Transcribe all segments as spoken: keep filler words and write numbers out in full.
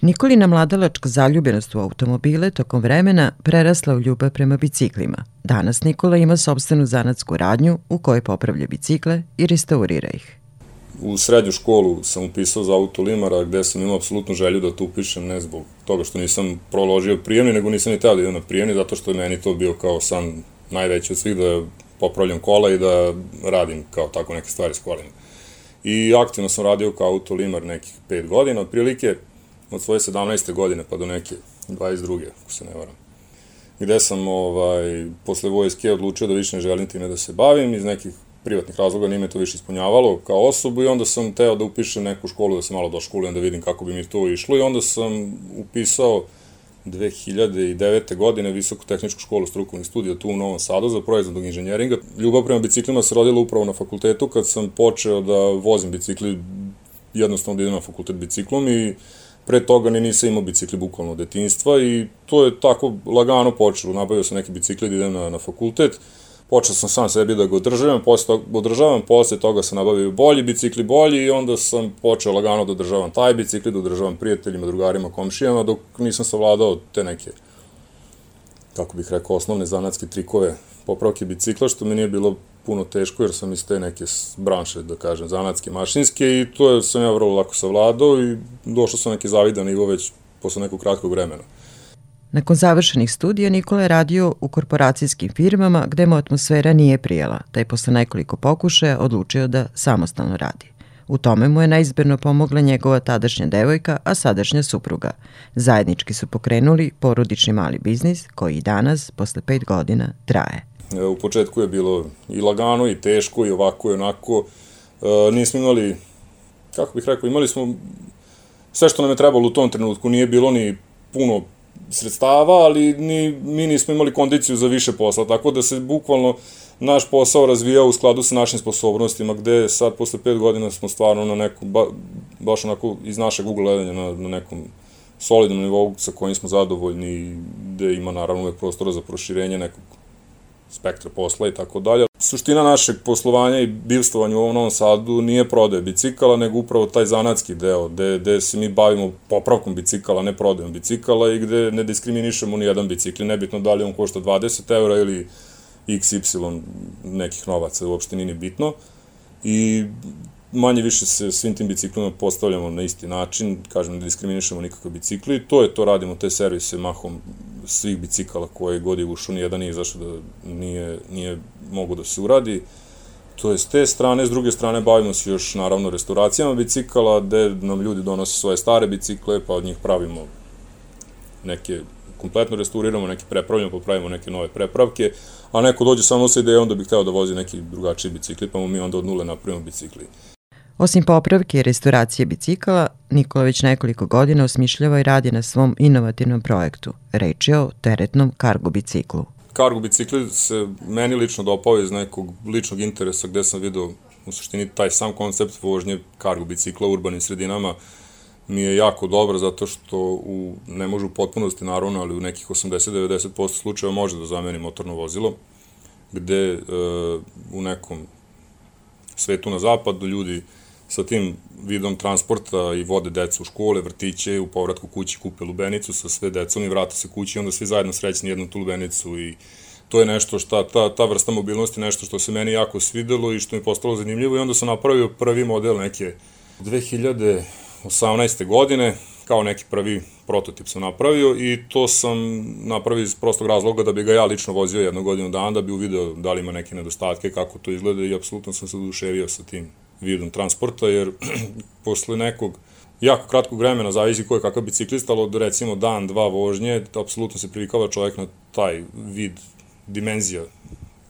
Nikolina mladalačka zaljubljenost u automobile tokom vremena prerasla u ljubav prema biciklima. Danas Nikola ima sopstvenu zanatsku radnju u kojoj popravlja bicikle i restaurira ih. U srednju školu sam upisao za autolimara gde sam imao apsolutnu želju da to upišem, ne zbog toga što nisam proložio prijemni, nego nisam ni teo da idem na prijemni, zato što je meni to bio kao san najveći od svih, da popravljam kola i da radim kao tako neke stvari s kolima. I aktivno sam radio kao autolimar nekih pet godina, otprilike od svoje sedamnaeste godine pa do neke dvadeset druge, ako se ne varam. Gde sam ovaj, posle vojske odlučio da više ne želim time da se bavim, iz nekih privatnih razloga nije me to više ispunjavalo kao osobu i onda sam teo da upišem neku školu, da se malo doškolujem, da vidim kako bi mi to išlo i onda sam upisao dve hiljade devete. godine Visokotehničku školu strukovnih studija tu u Novom Sadu za proizvodnog inženjeringa. Ljubav prema biciklima se rodila upravo na fakultetu kad sam počeo da vozim bicikli, jednostavno da idem na fakultet biciklom i pre toga ni nisam imao bicikli bukvalno od detinjstva i to je tako lagano počelo. Nabavio sam neki bicikli da idem na, na fakultet, počeo sam sam sebi da ga održavam, posle toga, održavam, posle toga sam nabavio bolji bicikli, bolji i onda sam počeo lagano da održavam taj bicikli, da održavam prijateljima, drugarima, komšijama, dok nisam savladao te neke, kako bih rekao, osnovne zanatske trikove popravke bicikla, što mi nije bilo puno teško jer sam iz te neke branše, da kažem, zanatske, mašinske i to je, sam ja vrlo lako savladao i došao sam neki zavidan nivo već posle nekog kratkog vremena. Nakon završenih studija Nikola je radio u korporacijskim firmama gde mu atmosfera nije prijela, te je posle nekoliko pokušaja odlučio da samostalno radi. U tome mu je neizberno pomogla njegova tadašnja devojka, a sadašnja supruga. Zajednički su pokrenuli porodični mali biznis koji i danas, posle pet godina, traje. U početku je bilo i lagano i teško i ovako i onako. E, nismo imali, kako bih rekao, imali smo sve što nam je trebalo u tom trenutku. Nije bilo ni puno sredstava, ali ni, mi nismo imali kondiciju za više posla, tako da se bukvalno naš posao razvijao u skladu sa našim sposobnostima, gde sad posle pet godina smo stvarno na nekom, ba, baš onako iz našeg ugla gledanja na, na nekom solidnom nivou sa kojim smo zadovoljni i gde ima naravno uvek prostora za proširenje nekog spektra posla i tako dalje. Suština našeg poslovanja i bivstvovanja u ovom Novom Sadu nije prodaje bicikala, nego upravo taj zanatski deo, gde, gde se mi bavimo popravkom bicikala, ne prodajom bicikala i gde ne diskriminišemo ni jedan bicikl, nebitno da li on košta dvadeset eura ili iks ipsilon nekih novaca, uopšte nije ni bitno. I manje više se svim tim biciklima postavljamo na isti način, kažem, ne diskriminišemo nikakve bicikli, to je to, radimo te servise mahom svih bicikala koje god je ušao, nijedan nije zašto da nije, nije mogu da se uradi. To je s te strane, s druge strane bavimo se još naravno restauracijama bicikala, gde nam ljudi donose svoje stare bicikle, pa od njih pravimo neke, kompletno restauriramo, neke prepravljamo, popravimo neke nove prepravke, a neko dođe samo sa idejom da bi hteo da vozi neki drugačiji bicikli, pa mu mi onda od nule napravimo bicikli. Osim popravke i restauracije bicikala, Nikola već nekoliko godina osmišljava i radi na svom inovativnom projektu. Reč je o teretnom kargo biciklu. Kargo bicikli se meni lično dopao iz nekog ličnog interesa gde sam video u suštini taj sam koncept vožnje kargo bicikla u urbanim sredinama mi je jako dobar zato što u, ne može u potpunosti naravno, ali u nekih osamdeset do devedeset posto slučajeva može da zameni motorno vozilo, gde e, u nekom svetu na zapadu ljudi sa tim vidom transporta i vode decu u škole, vrtiće, u povratku kući kupe lubenicu sa sve decom i vrate se kući i onda svi zajedno srećni jednu tu lubenicu i to je nešto što, ta, ta vrsta mobilnosti, nešto što se meni jako svidelo i što mi je postalo zanimljivo i onda sam napravio prvi model neke dve hiljade osamnaeste. godine, kao neki prvi prototip sam napravio i to sam napravio iz prostog razloga da bi ga ja lično vozio jednu godinu dana, da bi uvideo da li ima neke nedostatke, kako to izgleda i apsolutno sam se oduševio sa tim vidom transporta, jer posle nekog jako kratkog vremena, zavisi ko je kakav biciklista, ali od recimo dan, dva vožnje, apsolutno se privikava čovjek na taj vid, dimenzija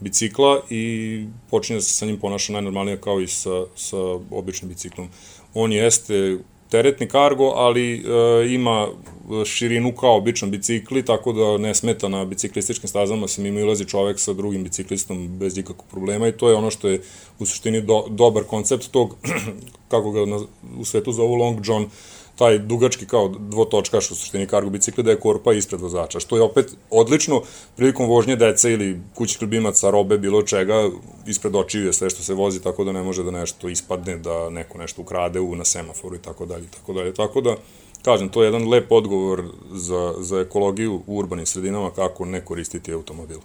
bicikla i počinje se sa njim ponaša najnormalnije kao i sa, sa običnim biciklom. On jeste teretni kargo, ali e, ima širinu kao običan bicikli, tako da ne smeta na biciklističkim stazama se mimo ilazi čovek sa drugim biciklistom bez ikakvog problema i to je ono što je u suštini do, dobar koncept tog, kako ga na, u svetu zovu Long John, taj dugački kao dvotočkaš u suštini kargo bicikli da je korpa ispred vozača, što je opet odlično prilikom vožnje dece ili kućnih ljubimaca, robe, bilo čega, ispred očiju je sve što se vozi, tako da ne može da nešto ispadne, da neko nešto ukrade u, na semaforu i tako dalje, tako dalje, tako da kažem, to je jedan lep odgovor za, za ekologiju u urbanim sredinama, kako ne koristiti automobil.